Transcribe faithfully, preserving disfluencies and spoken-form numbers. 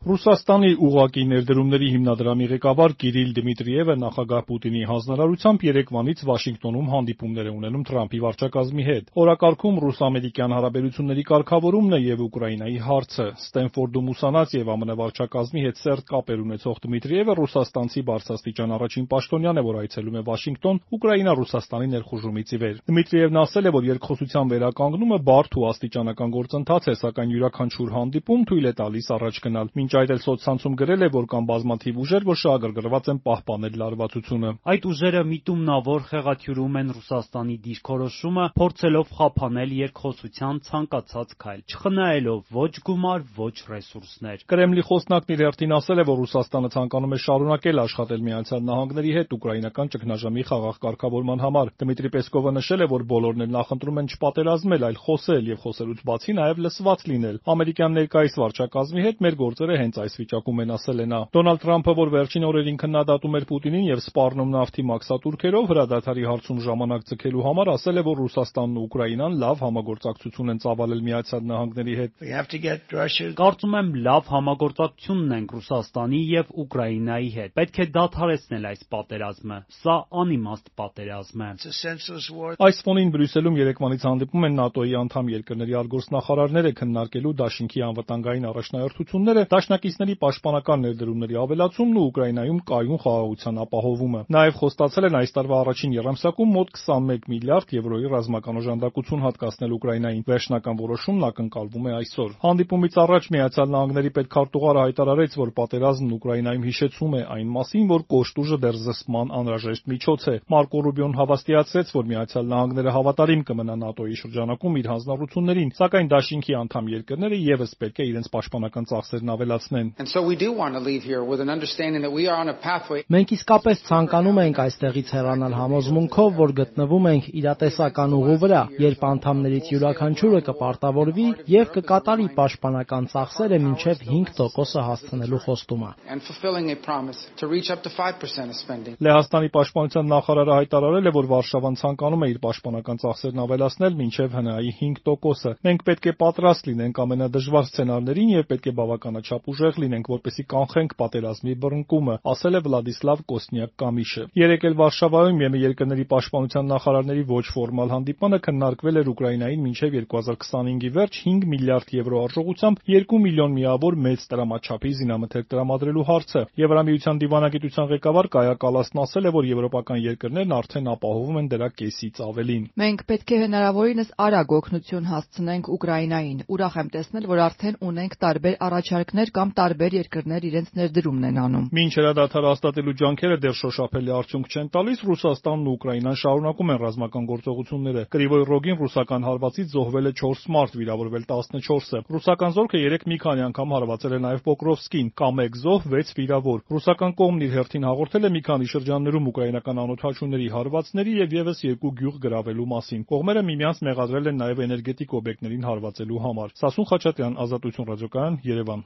Ռուսաստանի ուղղակի ներդրումների հիմնադրամի ղեկավար Կիրիլ Դմիտրիևը նախագահ Պուտինի հանձնարարությամբ երեկվանից Վաշինգտոնում հանդիպումներ է ունենում Թրամփի վարչակազմի հետ։ Օրակարգում ռուս-ամերիկյան հարաբերությունների կարգավորումն է եւ Ուկրաինայի հարցը։ Ստենֆորդում ուսանած եւ ԱՄՆ վարչակազմի հետ սերտ կապեր ունեցող Դմիտրիևը ռուսաստանցի բարձրաստիճան առաջին պաշտոնյան է, որ այցելում է Վաշինգտոն Ուկրաինա-Ռուսաստանի ներխուժումից ի վեր։ Դմիտրիևն ասել է, որ երկխոսության վերականգնումը բարդ ու աստիճանական գործընթաց է, սակայն յուրաքանչյուր հանդիպում թույլ է տալիս առաջ գնալ։ Մինչ այդ էլ սոցցանցում գրել է, որ կան բազմաթիվ ուժեր, որ շահագրգռված են պահպանել լարվածությունը։ Այդ ուժերը միտումնավոր խեղաթյուրում են Ռուսաստանի դիրքորոշումը, փորձելով խափանել երկխոսության ցանկացած քայլ, չխնայելով ոչ գումար, ոչ ռեսուրսներ։ Կրեմլի խոսնակն իր հերթին ասել է, որ Ռուսաստանը ցանկանում է շարունակել աշխատել Միացյալ Նահանգների հետ ուկրաինական ճգնաժամի խաղաղ կարգավորման համար։ Դմիտրի Պեսկովը նշել է, որ բոլորն էլ նախընտրում են չպատերազմել, այլ խոսել եւ խոսելուց բացի նաեւ լսված լինել։ Ամերիկյան ներկայիս վարչակազմի հետ մեր գործերը հենց այս վիճակում են, ասել է նա։ Դոնալդ Թրամփը, որ վերջին օրերին քննադատում էր Պուտինին եւ սպառնում նավթի մաքսատուրքերով հրադադարի հարցում ժամանակ ձգելու համար, ասել է, որ Ռուսաստանն ու Ուկրաինան լավ համագործակցություն են ծավալել Միացյալ Նահանգների հետ։ Կարծում եմ լավ համագործակցություն ունենք Ռուսաստանի եւ Ուկրաինայի հետ։ Պետք է դադարեցնել այս պատերազմը։ Սա անիմաստ պատերազմ է։ Այս ֆոնին Բրյուսելում երեկվանից հանդիպում են ՆԱՏՕ-ի անդամ երկրների արտգործնախարարները քննարկելու դաշինքի անվտանգային առաջնահերթությունները, դաշնակիցների պաշտպանական ներդրումների ավելացումն ու Ուկրաինայում կայուն խաղաղության ապահովումը։ Նաև խոստացել են այս տարվա առաջին եռամսյակում մոտ քսանմեկ միլիարդ եվրոյի ռազմական օժանդակություն հատկացնել Ուկրաինային։ Վերջնական որոշումն ակնկալվում է այսօր։ Հանդիպումից առաջ Միացյալ Նահանգների պետքարտուղարը հայտարարեց, որ պատերազմն Ուկրաինայում հիշեցում է այն մասին, որ կոշտուժը դեռ զսպման անհրաժեշտ միջոց է։ Մարկո Ռուբիոն հավաստիացրեց, որ Միացյալ Նահանգները հավատարիմ կմնա ՆԱՏՕ-ի շրջանակում իր հանձնառություններին, սակայն դաշինքի անդամ երկրները ևս պետք է իրենց պաշտպանական ծախսերն ավելացնեն։ Մենք իսկապես ցանկանում ենք այստեղից հեռանալ համոզմունքով, որ գտնվում ենք իրատեսական ուղու վրա, երբ անդամներից յուրաքանչյուրը կպարտավորվի եւ կկատարի պաշտպանական ծախսերը մինչեւ հինգ տոկոսը հասցնելու խոստումը։ Լեհաստանի պաշտպանության նախարարը հայտարարել է, որ Վարշավան ցանկանում է իր պաշտպանական ծախսերն ավելացնել մինչեւ ՀՆԱ-ի հինգ տոկոսը։ Մենք պետք է պատրաստ լինենք ամենադժվար սցենարներին եւ պետք է բավականաչափ ուժեղ լինենք, որպեսզի կանխենք պատերազմի բռնկումը, ասել է Վլադիսլավ Կոսնյակ-Կամիշը։ Երեկ էլ Վարշավայում ԵՄ երկրների պաշտպանության նախարարների ոչ ֆորմալ հանդիպանը քննարկվել էր Ուկրաինային մինչեւ երկու հազար քսանհինգի վերջ հինգ միլիարդ եվրո արժողությամբ երկու միլիոն միավոր մեծ տրամաչափի զինամթերք տրամադրելու հարցը։ Եվրամիության դիվանագիտության ղեկավար Կայա Կալասն ասել է, որ եվրոպական երկրներն արդեն ապահովում են դրա կեսից ավելին։ Մենք պետք է հնարավորինս արագ օգնություն հասցնենք Ուկրաինային։ Ուրախ եմ տեսնել, որ արդեն ունենք տարբեր առաջարկներ կամ տարբեր երկրներ իրենց ներդրումն են անում։ Մինչ հրադադար հաստատելու ջանքերը դեռ շոշափելի արդյունք չեն տալիս, Ռուսաստանն ու Ուկրաինան շարունակում են ռազմական գործողությունները։ Կրիվոյ Ռոգին ռուսական հարվածից զոհվել է չորս մարդ, վիրավորվել տասնչորսը։ Ռուսական զորքը երեք մի քանի անգամ հարվածել է նաև Պոկրովսկին, կամ մեկ զոհ, վեց վիրավոր։ Ռուսական կողմն իր հերթին հաղորդել է մի քանի շրջաններում ուկրաինական անօդաչուների հարվածների եւ եւս երկու գյուղ գրավելու մասին։ Կողմերը միմյանց մեղադրել են նաև էներգետիկ օբյեկտներին հարվածելու համար։ Սասուն Խաչատրյան, Ազատություն ռադիոկայան, Երևան։